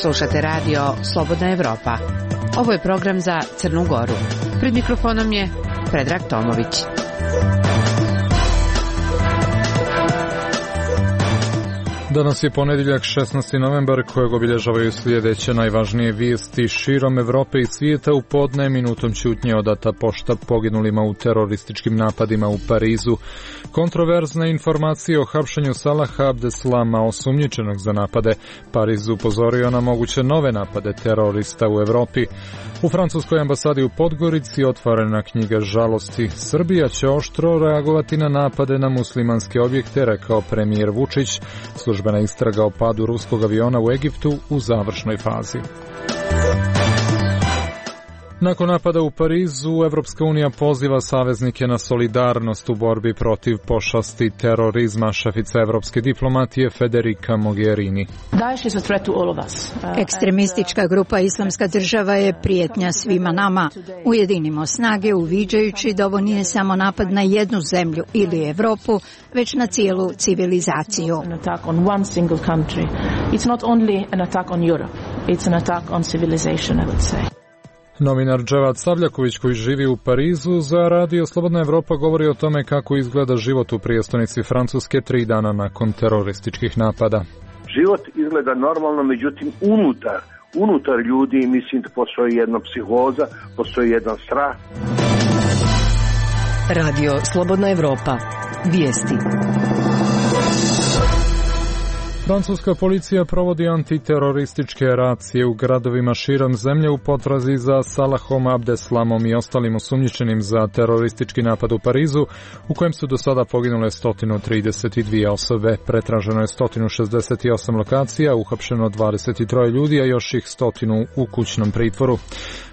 Slušate radio Slobodna Evropa. Ovo je program za Crnu Goru. Pred mikrofonom je Predrag Tomović. Danas je ponedjeljak 16. novembar kojeg obilježavaju sljedeće najvažnije vijesti širom Evrope i svijeta. U podne minutom ćutnje odata pošta poginulima u terorističkim napadima u Parizu. Kontroverzne informacije o hapšenju Salaha Abdeslama, osumnjičenog za napade. Pariz upozorio na moguće nove napade terorista u Evropi. U francuskoj ambasadi u Podgorici otvorena knjiga žalosti. Srbija će oštro reagovati na napade na muslimanske objekte, rekao premijer Vučić. Službena istraga o padu ruskog aviona u Egiptu u završnoj fazi. Nakon napada u Parizu, Evropska unija poziva saveznike na solidarnost u borbi protiv pošasti terorizma. Šefica evropske diplomatije Federica Mogherini. Ekstremistička grupa Islamska država je prijetnja svima nama. Ujedinimo snage uviđajući da ovo nije samo napad na jednu zemlju ili Evropu, već na cijelu civilizaciju. Novinar Dževad Savljaković, koji živi u Parizu, za radio Slobodna Evropa govori o tome kako izgleda život u prijestolnici Francuske 3 dana nakon terorističkih napada. Život izgleda normalno, međutim unutar ljudi mislim da postoji jedna psihoza, postoji jedan strah. Radio Slobodna Evropa. Vijesti. Francuska policija provodi antiterorističke racije u gradovima širom zemlje u potrazi za Salahom Abdeslamom i ostalim osumnjičenim za teroristički napad u Parizu, u kojem su do sada poginule 132 osobe. Pretraženo je 168 lokacija, uhapšeno 23 ljudi, a još ih 100 u kućnom pritvoru.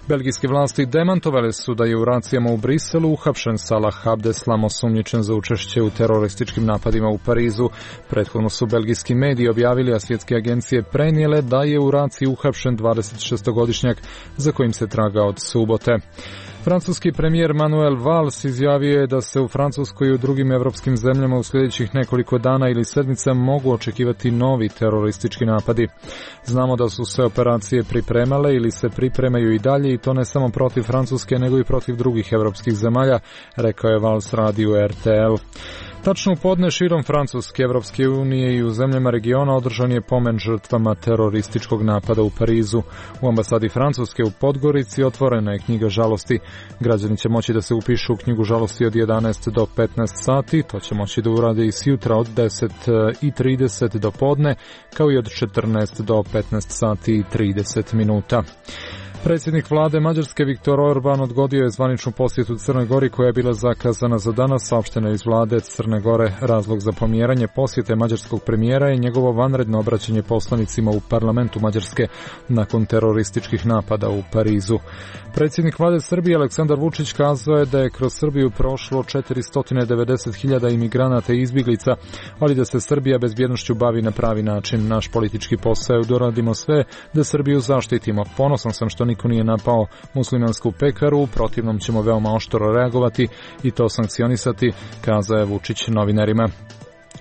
Belgijske vlasti demantovale su da je u racijama u Briselu uhapšen Salah Abdeslam, osumnjičen za učešće u terorističkim napadima u Parizu. Prethodno su belgijski mediji objavili, a svjetske agencije prenijele da je u raciji uhapšen 26-godišnjak za kojim se traga od subote. Francuski premijer Manuel Valls izjavio je da se u Francuskoj i u drugim evropskim zemljama u sljedećih nekoliko dana ili sedmica mogu očekivati novi teroristički napadi. Znamo da su se operacije pripremale ili se pripremaju i dalje, i to ne samo protiv Francuske nego i protiv drugih evropskih zemalja, rekao je Valls radiju RTL. Tačno u podne širom Francuske, Evropske unije i u zemljama regiona održan je pomen žrtvama terorističkog napada u Parizu. U ambasadi Francuske u Podgorici otvorena je knjiga žalosti. Građani će moći da se upišu u knjigu žalosti od 11 do 15 sati. To će moći da urade i sjutra od 10:30 do podne, kao i od 14 do 15 sati i 30 minuta. Predsjednik vlade Mađarske Viktor Orban odgodio je zvaničnu posjetu Crnoj Gori koja je bila zakazana za danas. Saopšteno iz vlade Crne Gore. Razlog za pomjeranje posjete mađarskog premijera je njegovo vanredno obraćanje poslanicima u parlamentu Mađarske nakon terorističkih napada u Parizu. Predsjednik vlade Srbije Aleksandar Vučić kazao je da je kroz Srbiju prošlo 490.000 imigranata i izbjeglica, ali da se Srbija bezbjednošću bavi na pravi način. Naš politički posao je da uradimo sve da Srbiju zaštitimo. Ponosan sam što niko nije napao muslimansku pekaru, u protivnom ćemo veoma oštro reagovati i to sankcionisati, kazao je Vučić novinarima.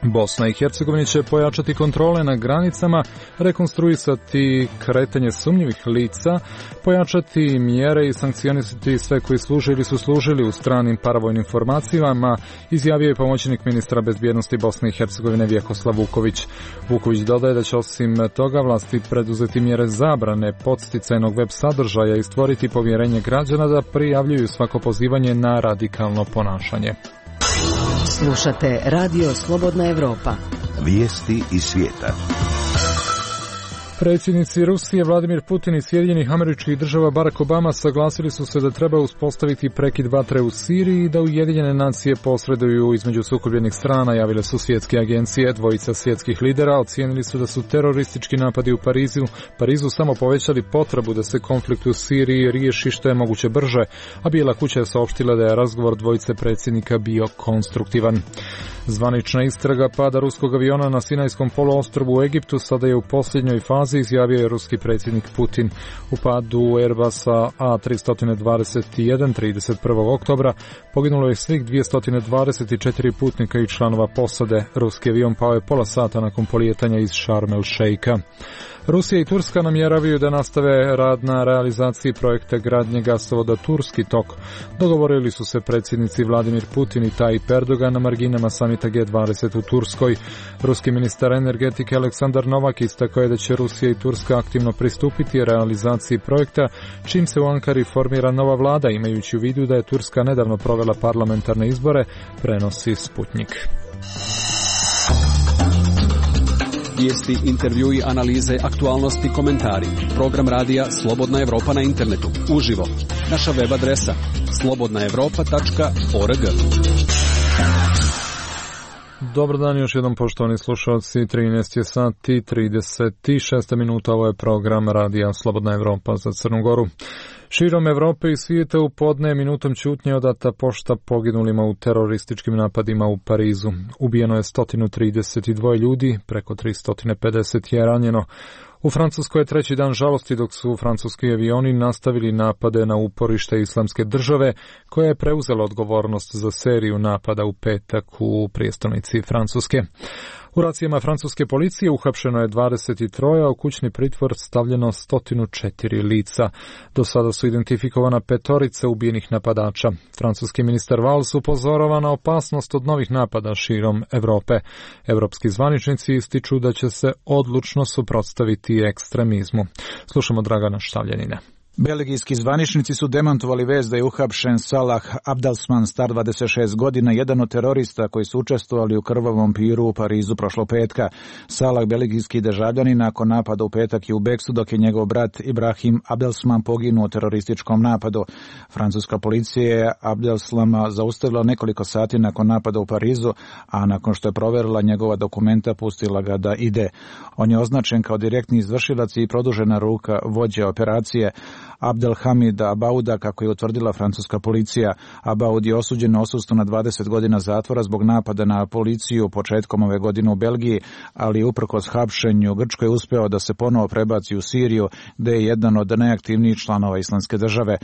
Bosna i Hercegovina će pojačati kontrole na granicama, rekonstruisati kretanje sumnjivih lica, pojačati mjere i sankcionisati sve koji služe ili su služili u stranim paravojnim formacijama, izjavio je pomoćnik ministra bezbjednosti Bosne i Hercegovine Vjekoslav Vuković. Vuković dodaje da će osim toga vlasti preduzeti mjere zabrane podsticajnog web sadržaja i stvoriti povjerenje građana da prijavljuju svako pozivanje na radikalno ponašanje. Slušate Radio Slobodna Evropa. Vijesti iz svijeta. Predsjednici Rusije Vladimir Putin i Sjedinjenih Američkih Država Barack Obama saglasili su se da treba uspostaviti prekid vatre u Siriji i da Ujedinjene nacije posreduju između sukobljenih strana, javile su svjetske agencije. Dvojica svjetskih lidera ocijenili su da su teroristički napadi u Parizu samo povećali potrebu da se konflikt u Siriji riješi što je moguće brže, a Bijela kuća je saopštila da je razgovor dvojice predsjednika bio konstruktivan. Zvanična istraga pada ruskog aviona na Sinajskom poluostrvu u Egiptu sada je u posljednjoj fazi fazi, izjavio je ruski predsjednik Putin. U padu Airbusa A321 31. oktobra poginulo je svih 224 putnika i članova posade. Ruski avion pao je pola sata nakon polijetanja iz Sharm el Sheikha. Rusija i Turska namjeravaju da nastave rad na realizaciji projekta gradnje gasovoda Turski tok. Dogovorili su se predsjednici Vladimir Putin i Tayyip Erdogan na marginama samita G20 u Turskoj. Ruski ministar energetike Aleksandar Novak istakao je da će Rusija i Turska aktivno pristupiti realizaciji projekta, čim se u Ankari formira nova vlada, imajući u vidu da je Turska nedavno provela parlamentarne izbore, prenosi Sputnik. Vijesti, intervjui, analize, aktualnosti, komentari. Program radija Slobodna Evropa na internetu. Uživo. Naša web adresa slobodnaevropa.org. Dobar dan još jednom, poštovani slušalci. 13 je sati 36 minuta. Ovo je program radija Slobodna Evropa za Crnu Goru. Širom Evrope i svijeta u podne minutom ćutnje odata pošta poginulima u terorističkim napadima u Parizu. Ubijeno je 132 ljudi, preko 350 je ranjeno. U Francuskoj je treći dan žalosti dok su francuski avioni nastavili napade na uporište Islamske države, koja je preuzela odgovornost za seriju napada u petak u prijestolnici Francuske. U racijama francuske policije uhapšeno je 23, a u kućni pritvor stavljeno 104 lica. Do sada su identifikovana 5 ubijenih napadača. Francuski ministar Valls upozorava na opasnost od novih napada širom Evrope. Evropski zvaničnici ističu da će se odlučno suprotstaviti ekstremizmu. Slušamo Dragana Štavljanina. Belgijski zvaničnici su demantovali vest da je uhapšen Salah Abdeslam, star 26 godina, jedan od terorista koji su učestvovali u krvavom piru u Parizu prošlog petka. Salah, belgijski državljanin, nakon napada u petak je u bekstvu, dok je njegov brat Ibrahim Abdeslam poginuo u terorističkom napadu. Francuska policija je Abdeslama zaustavila nekoliko sati nakon napada u Parizu, a nakon što je proverila njegova dokumenta, pustila ga da ide. On je označen kao direktni izvršilac i produžena ruka vođe operacije. Abdelhamid Abauda, kako je utvrdila francuska policija. Abaud je osuđen na odsustvu na 20 godina zatvora zbog napada na policiju početkom ove godine u Belgiji, ali uprkos hapšenju u Grčkoj uspeo da se ponovo prebaci u Siriju, gde je jedan od najaktivnijih članova Islamske države.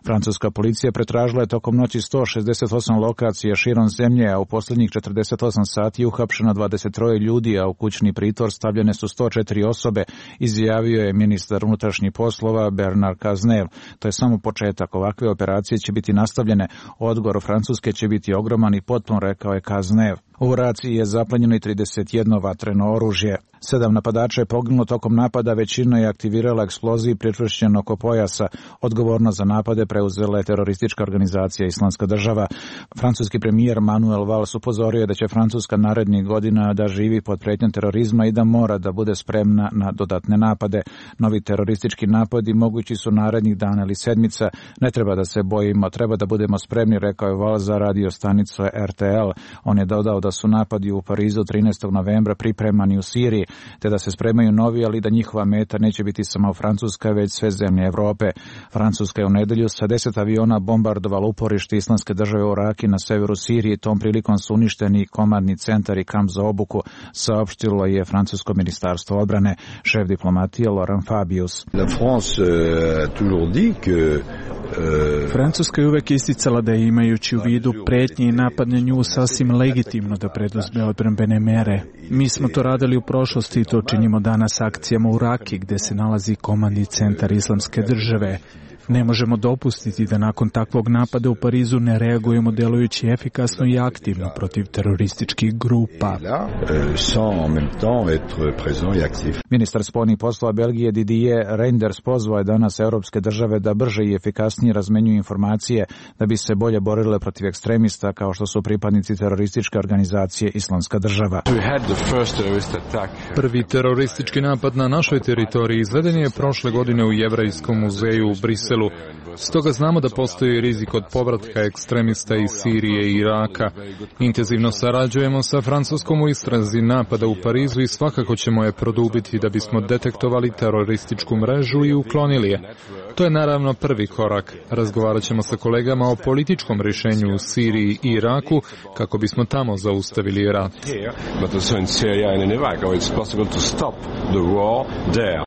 Francuska policija pretražila je tokom noći 168 lokacija širom zemlje, a u posljednjih 48 sati je uhapšeno 23 ljudi, a u kućni pritvor stavljene su 104 osobe, izjavio je ministar unutrašnjih poslova Bernard Cazeneuve. To je samo početak. Ovakve operacije će biti nastavljene. Odgovor Francuske će biti ogroman i potpun, rekao je Cazeneuve. U raciji je zaplenjeno i 31 vatreno oružje. 7 napadača je poginulo tokom napada, većina je aktivirala eksploziju pričvršćeno oko pojasa. Odgovornost za napade preuzela je teroristička organizacija Islamska država. Francuski premijer Manuel Valls upozorio je da će Francuska narednih godina da živi pod prijetnjom terorizma i da mora da bude spremna na dodatne napade. Novi teroristički napadi mogući su narednih dana ili sedmica. Ne treba da se bojimo, treba da budemo spremni, rekao je Valls za radio stanicu RTL. On je dodao da su napadi u Parizu 13. novembra pripremani u Siriji, te da se spremaju novi, ali da njihova meta neće biti samo Francuska, već sve zemlje Evrope. Francuska je u nedelju sa 10 aviona bombardovala uporište Islamske države u Raki na severu Sirije. Tom prilikom su uništeni komandni centar i kamp za obuku, saopštilo je francusko ministarstvo odbrane. Šef diplomatije Laurent Fabius. Francuska je uvek isticala da je, imajući u vidu prijetnje i napad na nju, sasvim legitimno da preduzme odbrambene mere. Mi smo to radili u prošlosti i to činimo danas akcijama u Raki, gde se nalazi komandni centar Islamske države. Ne možemo dopustiti da nakon takvog napada u Parizu ne reagujemo delujući efikasno i aktivno protiv terorističkih grupa. Ministar spoljnih poslova Belgije Didier Reynders pozvao je danas europske države da brže i efikasnije razmenjuju informacije da bi se bolje borile protiv ekstremista kao što su pripadnici terorističke organizacije Islamska država. Prvi teroristički napad na našoj teritoriji izveden je prošle godine u Jevrejskom muzeju u Briselu. Briselu. Stoga znamo da postoji rizik od povratka ekstremista iz Sirije i Iraka. Intenzivno sarađujemo sa Francuskom u istrazi napada u Parizu i svakako ćemo je produbiti da bismo detektovali terorističku mrežu i uklonili je. To je naravno prvi korak. Razgovarat ćemo sa kolegama o političkom rješenju u Siriji i Iraku kako bismo tamo zaustavili rat.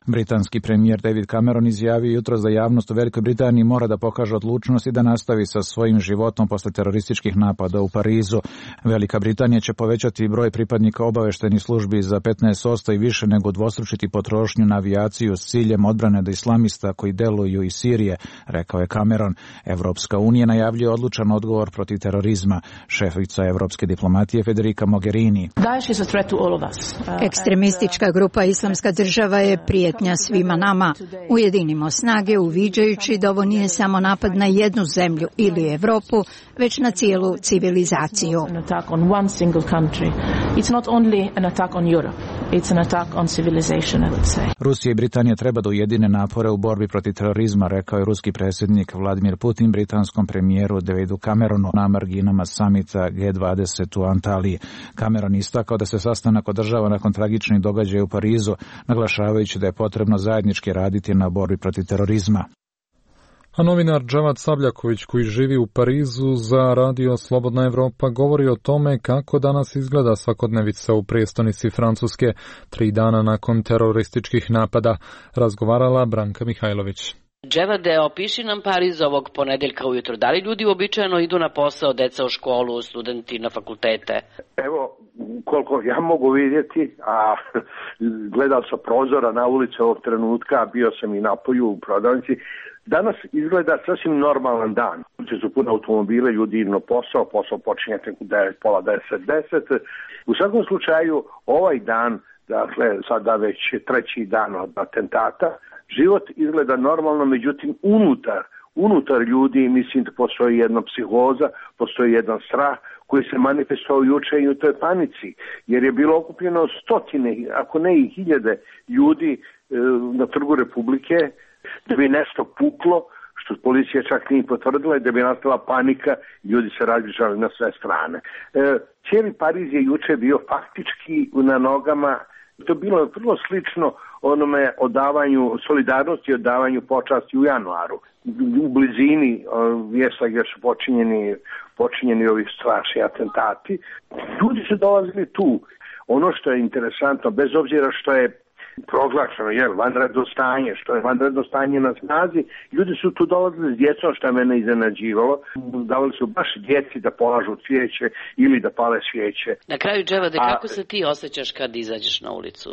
Britanski premijer David Cameron izjavio jutros da javnost u Velikoj Britaniji mora da pokaže odlučnost i da nastavi sa svojim životom posle terorističkih napada u Parizu. Velika Britanija će povećati broj pripadnika obaveštajnih službi za 15% i više nego udvostručiti potrošnju na avijaciju s ciljem odbrane od islamista koji deluju iz Sirije, rekao je Cameron. Evropska unija najavljuje odlučan odgovor protiv terorizma. Šefica evropske diplomatije Federica Mogherini. Ekstremistička grupa Islamska država je prijetnja svima nama. Ujedinimo snage uviđajući da ovo nije samo napad na jednu zemlju ili Evropu, već na cijelu civilizaciju. Rusija i Britanija treba da ujedine napore u borbi protiv terorizma, rekao je ruski predsjednik Vladimir Putin britanskom premijeru Davidu Cameronu na marginama samita G20 u Antaliji. Cameron istakao da se sastanak održava nakon tragičnih događaja u Parizu, naglašavajući da je potrebno zajednički raditi na borbi protiv terorizma. A novinar Džavad Sabljaković, koji živi u Parizu za radio Slobodna Evropa, govori o tome kako danas izgleda svakodnevica u prijestolnici Francuske 3 dana nakon terorističkih napada. Razgovarala Branka Mihajlović. Dževade, opiši nam Pariz ovog ponedeljka ujutro. Da li ljudi uobičajeno idu na posao, deca u školu, studenti na fakultete? Evo, koliko ja mogu vidjeti, a gledao sam prozora na ulici ovog trenutka, bio sam i napolju u prodavnici. Danas izgleda sasvim normalan dan. Su puno automobile, ljudi idu na posao počinje tek u 9, pola 10. U svakom slučaju, ovaj dan, dakle, sada već 3. dan od atentata, život izgleda normalno, međutim, unutar ljudi, mislim da postoji jedna psihoza, postoji jedan strah koji se manifestovao juče i u toj panici, jer je bilo okupljeno stotine, ako ne i hiljade ljudi na Trgu Republike, da bi nešto puklo, što policija čak nije potvrdila, i da bi nastala panika, ljudi se razbježali na sve strane. Cijeli Pariz je juče bio faktički na nogama. To je bilo vrlo slično onome odavanju solidarnosti, odavanju počasti u januaru. U blizini mjesta gdje su počinjeni ovi strašni atentati. Ljudi su dolazili tu. Ono što je interesantno, bez obzira što je proglašeno, vanredno stanje, što je vanredno stanje na snazi, ljudi su tu dolazili s djecom, što je mene iznenađivalo. Davali su baš djeci da polažu cvijeće ili da pale svijeće. Na kraju, Dževade, kako se ti osjećaš kad izađeš na ulicu?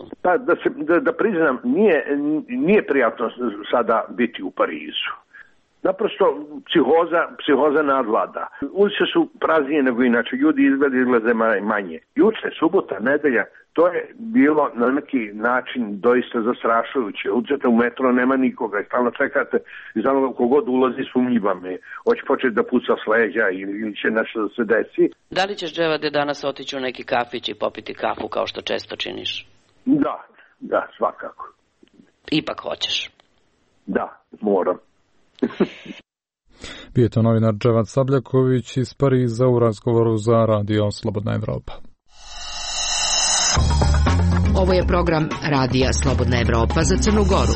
Da priznam, nije prijatno sada biti u Parizu. Naprosto psihoza nadvlada. Ulice su praznije nego inače, ljudi izglede manje. Juče, subota, nedelja, to je bilo na neki način doista zastrašujuće. Uđete u metro, nema nikoga i stalno čekate i znamo kogod ulazi sumnjiva me. Hoće početi da puca s leđa ili će nešto da se desi. Da li ćeš, Dževade, danas otići u neki kafić i popiti kafu kao što često činiš? Da, svakako. Ipak hoćeš? Da, moram. Bio je to novinar Dževad Sabljaković iz Pariza u razgovoru za radio Slobodna Evropa. Ovo je program Radija Slobodna Evropa za Crnu Goru.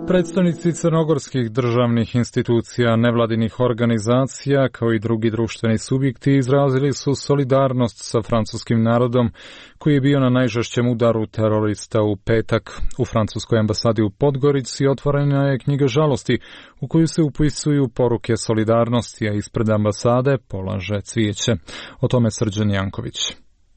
Predstavnici crnogorskih državnih institucija, nevladinih organizacija kao i drugi društveni subjekti izrazili su solidarnost sa francuskim narodom koji je bio na najžešćem udaru terorista u petak. U francuskoj ambasadi u Podgorici otvorena je knjiga žalosti u koju se upisuju poruke solidarnosti, a ispred ambasade polaže cvijeće. O tome Srđan Janković.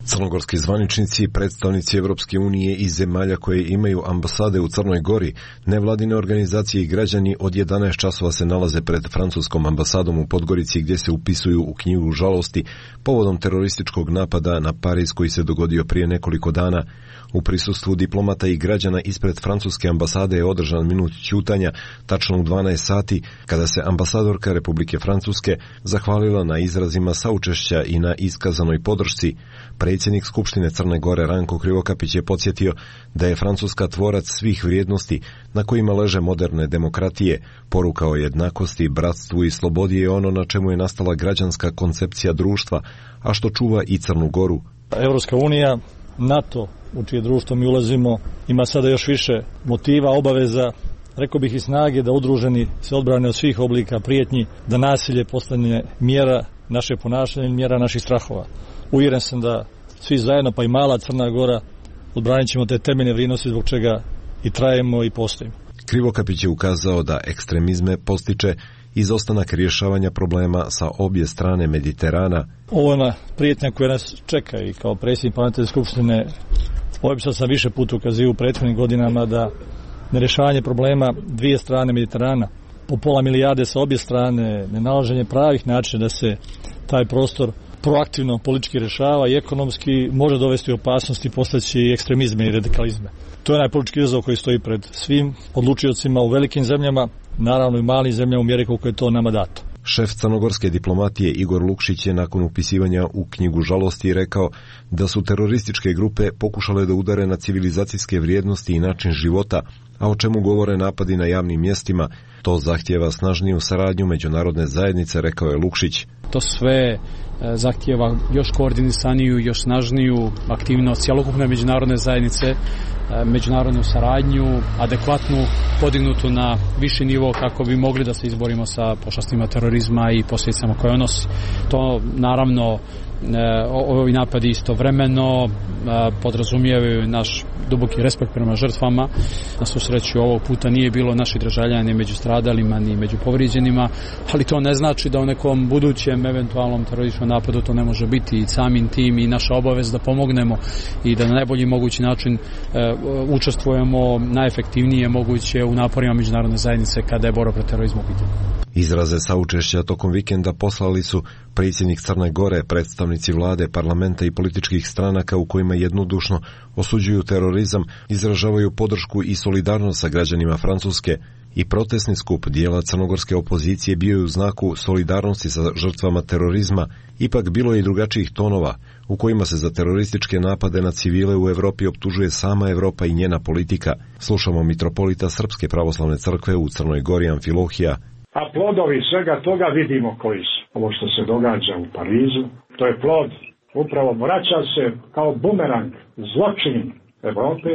Crnogorski zvaničnici, predstavnici Evropske unije i zemalja koje imaju ambasade u Crnoj Gori, nevladine organizacije i građani od 11 časova se nalaze pred francuskom ambasadom u Podgorici gdje se upisuju u knjigu žalosti povodom terorističkog napada na Pariz koji se dogodio prije nekoliko dana. U prisustvu diplomata i građana ispred francuske ambasade je održan minut ćutanja tačno u 12 sati kada se ambasadorka Republike Francuske zahvalila na izrazima saučešća i na iskazanoj podršci. Predsjednik Skupštine Crne Gore Ranko Krivokapić je podsjetio da je Francuska tvorac svih vrijednosti na kojima leže moderne demokratije. Poruka o jednakosti, bratstvu i slobodi je ono na čemu je nastala građanska koncepcija društva, a što čuva i Crnu Goru. Evropska unija, NATO, u čije društvo mi ulazimo, ima sada još više motiva, obaveza, rekao bih i snage da udruženi se odbrane od svih oblika prijetnji, da nasilje postane mjera naše ponašanje i mjera naših strahova. Uvjeren sam da svi zajedno, pa i mala Crna Gora, odbranit ćemo te temeljne vrijednosti zbog čega i trajemo i postojimo. Krivokapić je ukazao da ekstremizme postiče izostanak rješavanja problema sa obje strane Mediterana. Ovo je prijetnja koja nas čeka i kao predsjednik Parlamentarne skupštine opisao sam više puta ukazivao u prethodnim godinama da nerješavanje problema dvije strane Mediterana, po pola milijarde sa obje strane, nenalaženje pravih načina da se taj prostor proaktivno politički rješava i ekonomski može dovesti u opasnost i postaći ekstremizme i radikalizme. To je najpolitički izazov koji stoji pred svim odlučiocima u velikim zemljama, naravno i malim zemljama u mjeri koliko je to nama dato. Šef crnogorske diplomatije Igor Lukšić je nakon upisivanja u knjigu žalosti rekao da su terorističke grupe pokušale da udare na civilizacijske vrijednosti i način života, a o čemu govore napadi na javnim mjestima. To zahtijeva snažniju saradnju međunarodne zajednice, rekao je Lukšić. To sve zahtijeva još koordinisaniju, još snažniju aktivnost cjelokupne međunarodne zajednice, međunarodnu saradnju, adekvatnu, podignutu na viši nivo kako bi mogli da se izborimo sa pošastima terorizma i posljedicama koje on nosi. To naravno ovi napadi istovremeno podrazumijevaju naš duboki respekt prema žrtvama. Na svu sreću ovog puta nije bilo naših državljana ni među stradalima ni među povrijeđenima, ali to ne znači da u nekom budućem eventualnom terorističkom napadu to ne može biti i samim tim i naša obaveza da pomognemo i da na najbolji mogući način učestvujemo najefektivnije moguće u naporima međunarodne zajednice kada je borba protiv terorizma u pitanju. Izraze saučešća tokom vikenda poslali su predsjednik Crne Gore, predstavnici vlade, parlamenta i političkih stranaka u kojima jednodušno osuđuju terorizam, izražavaju podršku i solidarnost sa građanima Francuske. I protestni skup dijela crnogorske opozicije bio je u znaku solidarnosti sa žrtvama terorizma. Ipak bilo je i drugačijih tonova u kojima se za terorističke napade na civile u Europi optužuje sama Europa i njena politika. Slušamo mitropolita Srpske pravoslavne crkve u Crnoj Gori Amfilohija. A plodovi svega toga vidimo koji su. Ovo što se događa u Parizu, to je plod, upravo vraća se kao bumerang, zločin Europe,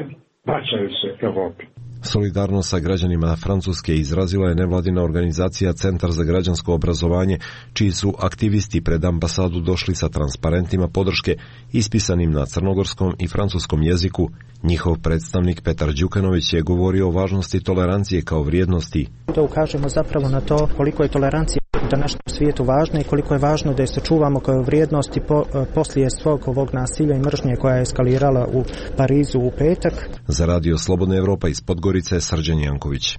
vraćaju se Europi. Solidarnost sa građanima Francuske izrazila je nevladina organizacija Centar za građansko obrazovanje, čiji su aktivisti pred ambasadu došli sa transparentima podrške ispisanim na crnogorskom i francuskom jeziku. Njihov predstavnik Petar Đukanović je govorio o važnosti tolerancije kao vrijednosti. Da ukažemo zapravo na to koliko je tolerancija u današnjem svijetu važna i koliko je važno da je sačuvamo kao vrijednosti poslije svog ovog nasilja i mržnje koja je eskalirala u Parizu u petak. Za Radio Slobodna Evropa iz Podgorice, Srđan Janković.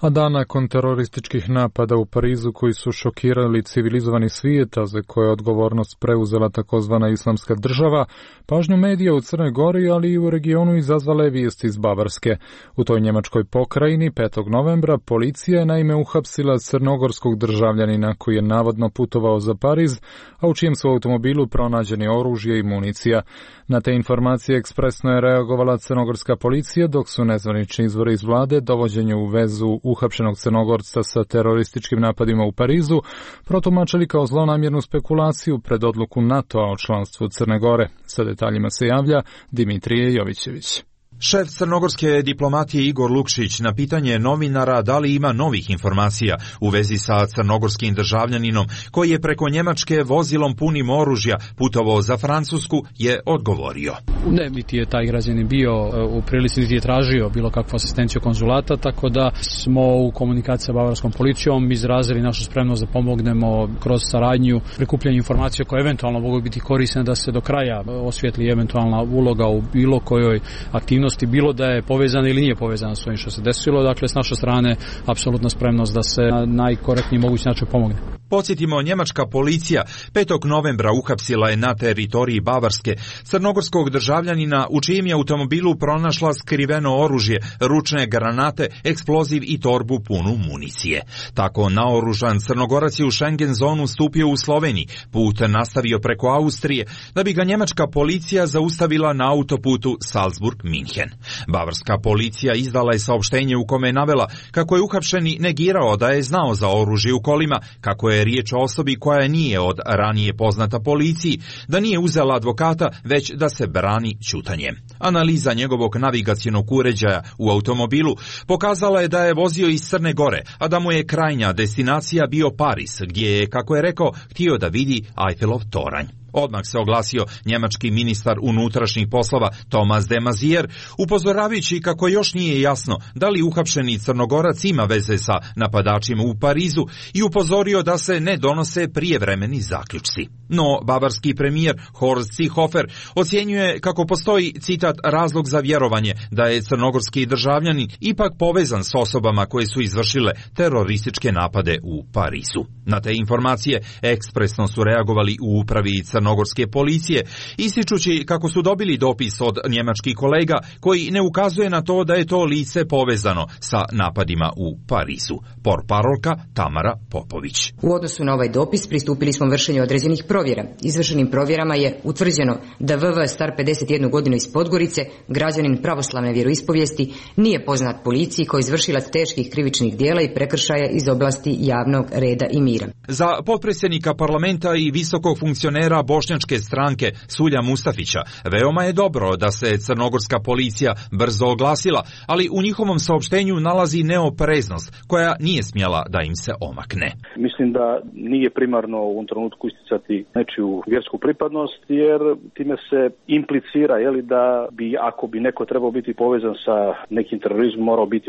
A dan nakon terorističkih napada u Parizu koji su šokirali civilizovani svijet, a za koje je odgovornost preuzela takozvana islamska država, pažnju medija u Crnoj Gori, ali i u regionu izazvala je vijest iz Bavarske. U toj njemačkoj pokrajini 5. novembra policija je naime uhapsila crnogorskog državljanina koji je navodno putovao za Pariz, a u čijem su automobilu pronađeni oružje i municija. Na te informacije ekspresno je reagovala crnogorska policija, dok su nezvanični izvori iz vlade dovođenje u vezu uhapšenog Crnogorca sa terorističkim napadima u Parizu protumačili kao zlonamjernu spekulaciju pred odluku NATO-a o članstvu Crne Gore. Sa detaljima se javlja Dimitrije Jovićević. Šef crnogorske diplomatije Igor Lukšić na pitanje novinara da li ima novih informacija u vezi sa crnogorskim državljaninom koji je preko Njemačke vozilom punim oružja putovao za Francusku je odgovorio. Ne, niti je taj građanin bio u prilici, niti je tražio bilo kakvu asistenciju konzulata, tako da smo u komunikaciji sa bavarskom policijom izrazili našu spremnost da pomognemo kroz saradnju, prikupljanje informacija koje eventualno mogu biti korisne da se do kraja osvijetli eventualna uloga u bilo kojoj aktivnosti, bilo da je povezana ili nije povezana s ovim što se desilo. Dakle, s naše strane apsolutna spremnost da se na najkorektniji mogući način pomogne. Podsjetimo, njemačka policija 5. novembra uhapsila je na teritoriji Bavarske crnogorskog državljanina u čijem je automobilu pronašla skriveno oružje, ručne granate, eksploziv i torbu punu municije. Tako naoružan Crnogorac je u Schengen zonu stupio u Sloveniji, put nastavio preko Austrije, da bi ga njemačka policija zaustavila na autoputu Salzburg-Minhen. Bavarska policija izdala je saopštenje u kome je navela kako je uhapšeni negirao da je znao za oružje u kolima, kako je riječ o osobi koja nije od ranije poznata policiji, da nije uzela advokata, već da se brani ćutanjem. Analiza njegovog navigacionog uređaja u automobilu pokazala je da je vozio iz Crne Gore, a da mu je krajnja destinacija bio Pariz, gdje je, kako je rekao, htio da vidi Eiffelov toranj. Odmah se oglasio njemački ministar unutrašnjih poslova Thomas de Maizière, upozoravajući kako još nije jasno da li uhapšeni Crnogorac ima veze sa napadačima u Parizu i upozorio da se ne donose prijevremeni zaključci. No, bavarski premijer Horst Seehofer ocjenjuje kako postoji, citat, razlog za vjerovanje da je crnogorski državljanin ipak povezan s osobama koje su izvršile terorističke napade u Parizu. Na te informacije ekspresno su reagovali u upravi crnogorske policije, ističući kako su dobili dopis od njemačkih kolega koji ne ukazuje na to da je to lice povezano sa napadima u Parizu. Portparolka Tamara Popović. U odnosu na ovaj dopis pristupili smo vršenju određenih provjera. Izvršenim provjerama je utvrđeno da VV star 51 godinu iz Podgorice, građanin pravoslavne vjeroispovijesti, nije poznat policiji kao izvršilac teških krivičnih djela i prekršaja iz oblasti javnog reda i mira. Za potpredsjednika parlamenta i visokog funkcionera bošnjačke stranke Sulja Mustafića veoma je dobro da se crnogorska policija brzo oglasila, ali u njihovom saopštenju nalazi neopreznost koja nije smjela da im se omakne. Mislim da nije primarno u ovom trenutku isticati nečiju vjersku pripadnost, jer time se implicira da bi, ako bi neko trebao biti povezan sa nekim terorizmom, morao biti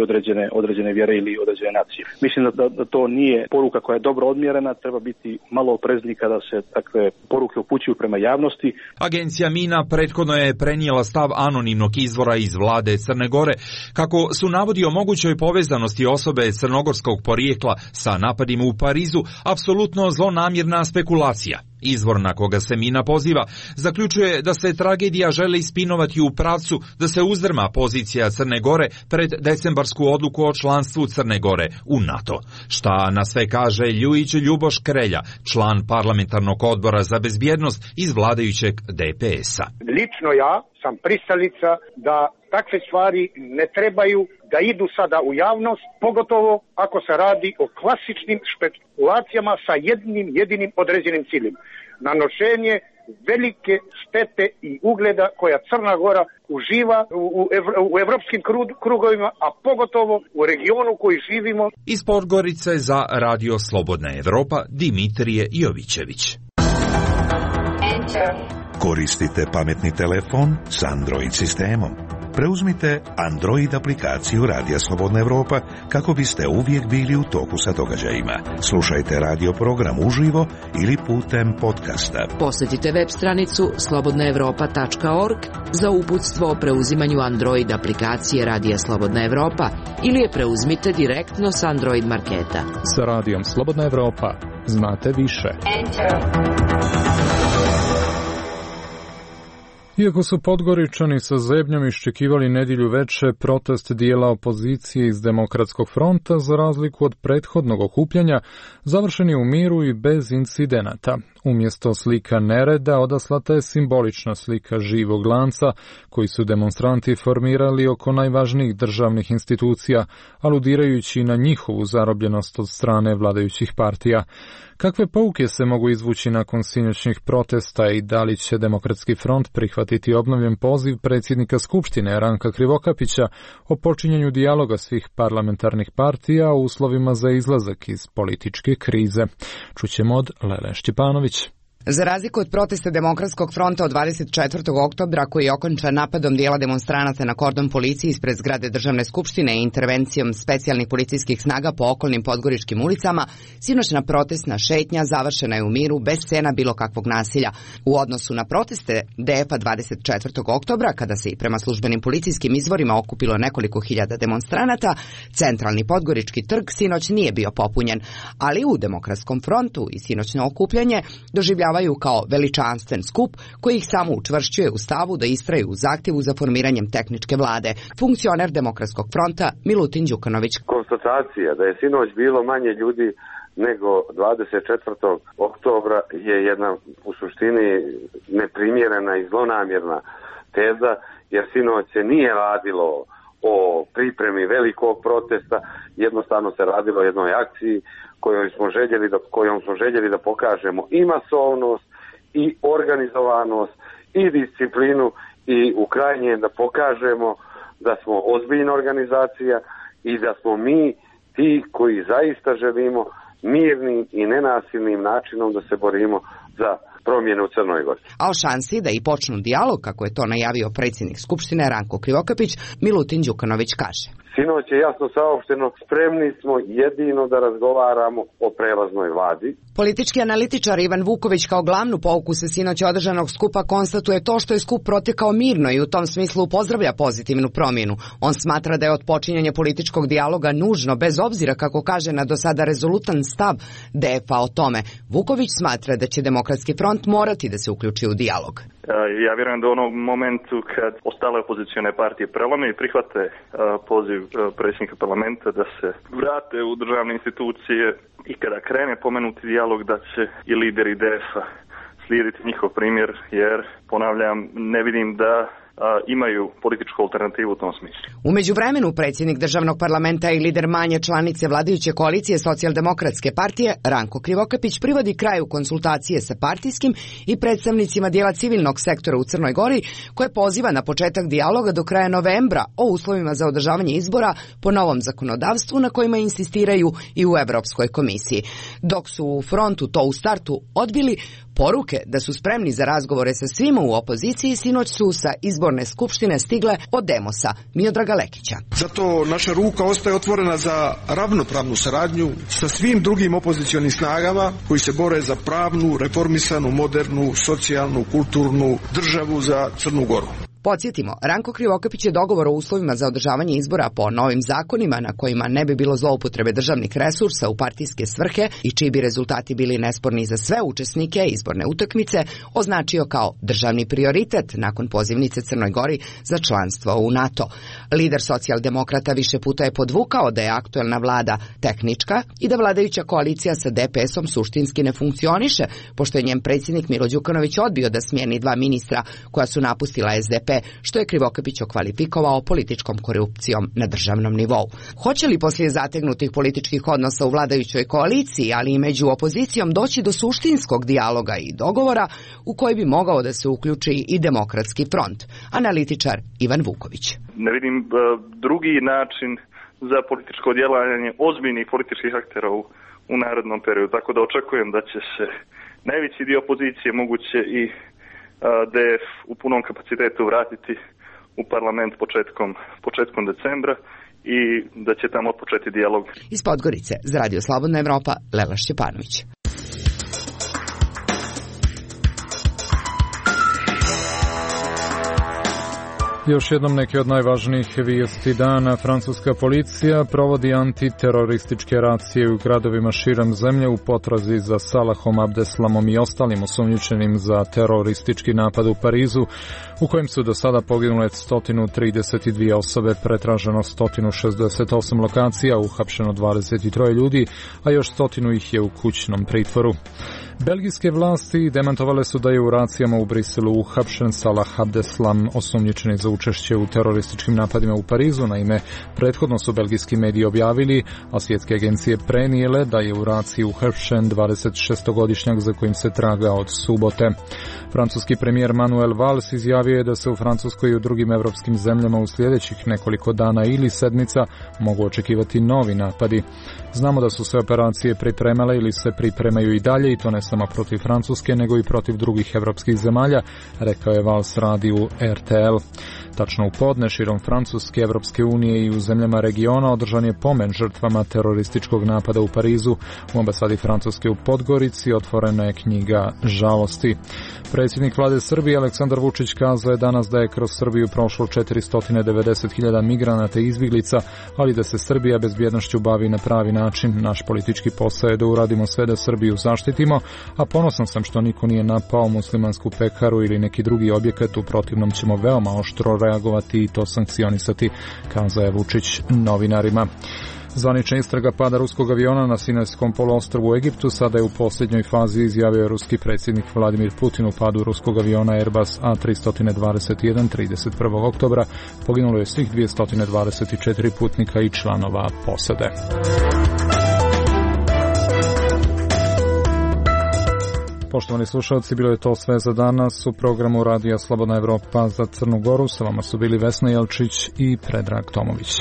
određene vjere ili određene nacije. Mislim da to nije poruka koja je dobro odmjerena, treba biti malo oprezniji kada se takve poruke upućuju prema javnosti. Agencija Mina prethodno je prenijela stav anonimnog izvora iz vlade Crne Gore, kako su navodi o mogućoj povezanosti osobe crnogorskog porijekla sa napadima u Parizu apsolutno zlonamjerna spekulacija. Izvor na koga se Mina poziva zaključuje da se tragedija želi ispinovati u pravcu da se uzdrma pozicija Crne Gore pred decembarsku odluku o članstvu Crne Gore u NATO. Šta na sve kaže Ljujić Ljuboš Krelja, član parlamentarnog odbora za bezbjednost iz vladajućeg DPS-a. Lično ja sam pristalica da takve stvari ne trebaju da idu sada u javnost, pogotovo ako se radi o klasičnim špekulacijama sa jednim jedinim određenim ciljem. Nanošenje velike štete i ugleda koja Crna Gora uživa u evropskim krugovima, a pogotovo u regionu u koji živimo. Iz Podgorice za Radio Slobodna Evropa Dimitrije Jovićević. Koristite pametni telefon s Android sistemom. Preuzmite Android aplikaciju Radija Slobodna Evropa kako biste uvijek bili u toku sa događajima. Slušajte radio program uživo ili putem podcasta. Posjetite web stranicu slobodnaevropa.org za uputstvo o preuzimanju Android aplikacije Radija Slobodna Evropa ili je preuzmite direktno s Android marketa. Sa Radijom Slobodna Evropa znate više. Iako su Podgoričani sa zebnjom iščekivali nedjelju veče protest dijela opozicije iz Demokratskog fronta, za razliku od prethodnog okupljanja, završen je u miru i bez incidenata. Umjesto slika nereda odaslata je simbolična slika živog lanca koji su demonstranti formirali oko najvažnijih državnih institucija, aludirajući na njihovu zarobljenost od strane vladajućih partija. Kakve pouke se mogu izvući nakon sinoćnih protesta i da li će Demokratski front prihvatiti obnovljen poziv predsjednika Skupštine Ranka Krivokapića o počinjanju dijaloga svih parlamentarnih partija u uslovima za izlazak iz političke krize? Čućemo od Lele Štjepanović. Za razliku od protesta Demokratskog fronta od 24. oktobra, koji je okončan napadom dijela demonstranata na kordon policije ispred zgrade Državne skupštine i intervencijom specijalnih policijskih snaga po okolnim podgoričkim ulicama, sinoćna protestna šetnja završena je u miru bez scena bilo kakvog nasilja. U odnosu na proteste DF-a 24. oktobra, kada se i prema službenim policijskim izvorima okupilo nekoliko hiljada demonstranata, centralni podgorički trg sinoć nije bio popunjen, ali u Demokratskom frontu i sinoćno okupljanje doživljavaju kao veličanstven skup koji ih samo učvršćuje u stavu da istraju u zahtjevu za formiranjem tehničke vlade. Funkcioner Demokratskog fronta Milutin Đukanović. Konstatacija da je sinoć bilo manje ljudi nego 24. oktobra je jedna u suštini neprimjerena i zlonamjerna teza, jer sinoć se nije radilo o pripremi velikog protesta, jednostavno se radilo o jednoj akciji kojom smo željeli da pokažemo i masovnost, i organizovanost, i disciplinu, i u krajnjem da pokažemo da smo ozbiljna organizacija i da smo mi ti koji zaista želimo mirnim i nenasilnim načinom da se borimo za promjene u Crnoj Gori. A o šansi da i počnu dijalog, kako je to najavio predsjednik Skupštine Ranko Krivokapić, Milutin Đukanović kaže. Sinoć je jasno saopšteno, spremni smo jedino da razgovaramo o prelaznoj vladi. Politički analitičar Ivan Vuković kao glavnu pouku sa sinoć održanog skupa konstatuje to što je skup protekao mirno i u tom smislu pozdravlja pozitivnu promjenu. On smatra da je odpočinjanje političkog dijaloga nužno, bez obzira, kako kaže, na do sada rezolutan stav DF-a o tome. Vuković smatra da će Demokratski front morati da se uključi u dijalog. Ja vjerujem da u onom momentu kad ostale opozicione partije prelome i prihvate poziv predsjednika parlamenta da se vrate u državne institucije i kada krene pomenuti dijalog, da će i lideri DF-a slijediti njihov primjer, jer, ponavljam, ne vidim da imaju političku alternativu u tom smislu. U međuvremenu predsjednik državnog parlamenta i lider manje članice vladajuće koalicije Socijaldemokratske partije Ranko Krivokapić privodi kraju konsultacije sa partijskim i predstavnicima dijela civilnog sektora u Crnoj Gori, koje poziva na početak dijaloga do kraja novembra o uslovima za održavanje izbora po novom zakonodavstvu na kojima insistiraju i u Europskoj komisiji. Dok su u frontu to u startu odbili, poruke da su spremni za razgovore sa svima u opoziciji sinoć su sa izborne skupštine stigle od Demosa, Miodraga Lekića. Zato naša ruka ostaje otvorena za ravnopravnu saradnju sa svim drugim opozicionim snagama koji se bore za pravnu, reformisanu, modernu, socijalnu, kulturnu državu za Crnu Goru. Podsjetimo, Ranko Krivokapić je dogovor o uslovima za održavanje izbora po novim zakonima na kojima ne bi bilo zloupotrebe državnih resursa u partijske svrhe i čiji bi rezultati bili nesporni za sve učesnike izborne utakmice, označio kao državni prioritet nakon pozivnice Crnoj Gori za članstvo u NATO. Lider socijaldemokrata više puta je podvukao da je aktuelna vlada tehnička i da vladajuća koalicija sa DPS-om suštinski ne funkcioniše, pošto je njen predsjednik Milo Đukanović odbio da smijeni dva ministra koja su napustila SDP, što je Krivokapić okvalifikovao političkom korupcijom na državnom nivou. Hoće li poslije zategnutih političkih odnosa u vladajućoj koaliciji, ali i među opozicijom, doći do suštinskog dijaloga i dogovora u koji bi mogao da se uključi i Demokratski front? Analitičar Ivan Vuković. Ne vidim drugi način za političko djelovanje ozbiljnih političkih aktera u narednom periodu, tako da očekujem da će se najveći dio opozicije, moguće i DF u punom kapacitetu vratiti u parlament početkom decembra i da će tamo početi dijalog. Iz Podgorice, za Radio Slobodna Evropa, Lela Šćepanović. Još jednom neke od najvažnijih vijesti dana. Francuska policija provodi antiterorističke racije u gradovima širom zemlje u potrazi za Salahom Abdeslamom i ostalim osumnjičenim za teroristički napad u Parizu, u kojem su do sada poginule 132 osobe, pretraženo 168 lokacija, uhapšeno 23 ljudi, a još 100 ih je u kućnom pritvoru. Belgijske vlasti demantovale su da je u racijama u Briselu uhapšen Salah Abdeslam, osumnjičeni za učešće u terorističkim napadima u Parizu. Naime, prethodno su belgijski mediji objavili, a svjetske agencije prenijele da je u raciji uhapšen 26-godišnjak za kojim se traga od subote. Francuski premijer Manuel Valls izjavio je da se u Francuskoj i u drugim evropskim zemljama u sljedećih nekoliko dana ili sedmica mogu očekivati novi napadi. Znamo da su se operacije pripremale ili se pripremaju i dalje, i to ne samo protiv Francuske, nego i protiv drugih evropskih zemalja, rekao je Vals radiju RTL. Tačno u podne širom Francuske, Evropske unije i u zemljama regiona održan je pomen žrtvama terorističkog napada u Parizu. U ambasadi Francuske u Podgorici otvorena je knjiga žalosti. Predsjednik vlade Srbije Aleksandar Vučić kazao je danas da je kroz Srbiju prošlo 490.000 migranata i izbjeglica, ali da se Srbija bezbjednošću bavi na pravi način. Naš politički posao je da uradimo sve da Srbiju zaštitimo, a ponosan sam što niko nije napao muslimansku pekaru ili neki drugi objekat, u protivnom ćemo veoma oštro reagovati i to sankcionisati, kazao je Vučić novinarima. Zvanična istraga pada ruskog aviona na Sinajskom poluostrvu u Egiptu sada je u posljednjoj fazi, izjavio je ruski predsjednik Vladimir Putin. U padu ruskog aviona Airbus A321 31. oktobra poginulo je svih 224 putnika i članova posade. Poštovani slušalci, bilo je to sve za danas u programu Radija Slobodna Evropa za Crnu Goru. Sa vama su bili Vesna Jelčić i Predrag Tomović.